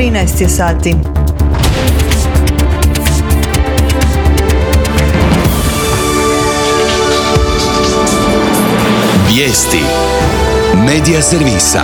13 je sati. Vijesti Medija servisa.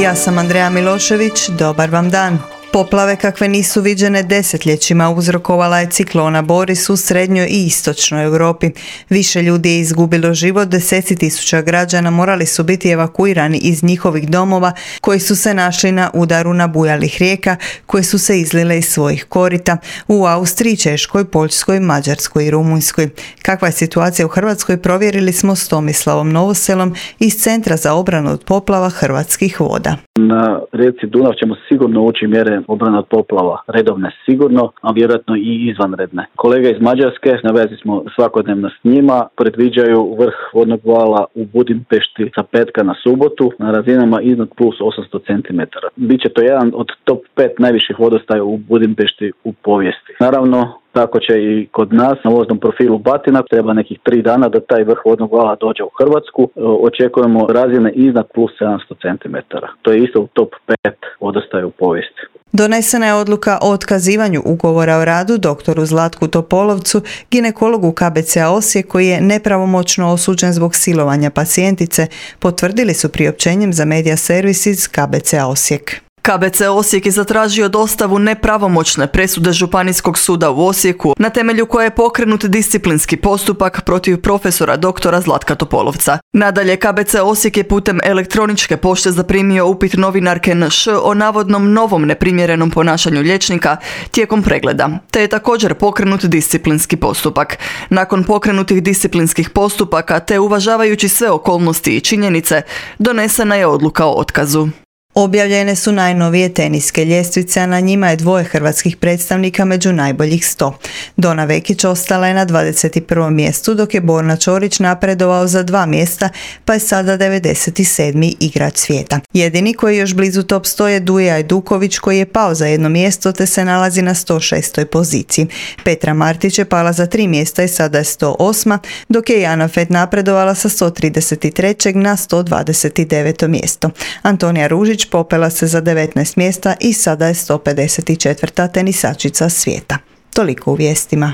Ja sam Andreja Milošević, dobar vam dan. Poplave kakve nisu viđene desetljećima uzrokovala je ciklona Boris u srednjoj i istočnoj Europi. Više ljudi je izgubilo život, deseci tisuća građana morali su biti evakuirani iz njihovih domova koji su se našli na udaru nabujalih rijeka koje su se izlile iz svojih korita u Austriji, Češkoj, Poljskoj, Mađarskoj i Rumunjskoj. Kakva je situacija u Hrvatskoj provjerili smo s Tomislavom Novoselom iz Centra za obranu od poplava Hrvatskih voda. Na rijeci Dunav ćemo sigurno ući mjere obrane od poplava, redovne sigurno, a vjerojatno i izvanredne. Kolege iz Mađarske, na vezi smo svakodnevno s njima, predviđaju vrh vodnog vala u Budimpešti sa petka na subotu na razinama iznad plus 800 cm. Biće to jedan od top 5 najviših vodostaja u Budimpešti u povijesti. Naravno, tako će i kod nas na voznom profilu Batina. Treba nekih 3 dana da taj vrh vodnog vala dođe u Hrvatsku. Očekujemo razine iznad plus 700 cm. To je isto u top 5 vodostaja u povijesti. Donesena je odluka o otkazivanju ugovora o radu doktoru Zlatku Topolovcu, ginekologu KBC-a Osijek koji je nepravomoćno osuđen zbog silovanja pacijentice, potvrdili su priopćenjem za Media servis iz KBC-a Osijek. KBC Osijek je zatražio dostavu nepravomoćne presude Županijskog suda u Osijeku, na temelju koje je pokrenut disciplinski postupak protiv profesora doktora Zlatka Topolovca. Nadalje, KBC Osijek je putem elektroničke pošte zaprimio upit novinarke NŠ o navodnom novom neprimjerenom ponašanju liječnika tijekom pregleda, te je također pokrenut disciplinski postupak. Nakon pokrenutih disciplinskih postupaka, te uvažavajući sve okolnosti i činjenice, donesena je odluka o otkazu. Objavljene su najnovije teniske ljestvice, a na njima je 2 hrvatskih predstavnika među najboljih 100. Dona Vekić ostala je na 21. mjestu, dok je Borna Ćorić napredovao za 2 mjesta, pa je sada 97. igrač svijeta. Jedini koji je još blizu top 100 je Duje Ajduković koji je pao za 1 mjesto te se nalazi na 106. poziciji. Petra Martić je pala za 3 mjesta i sada je 108. dok je Jana Fet napredovala sa 133. na 129. mjesto. Antonija Ružić popela se za 19 mjesta i sada je 154. tenisačica svijeta. Toliko u vijestima.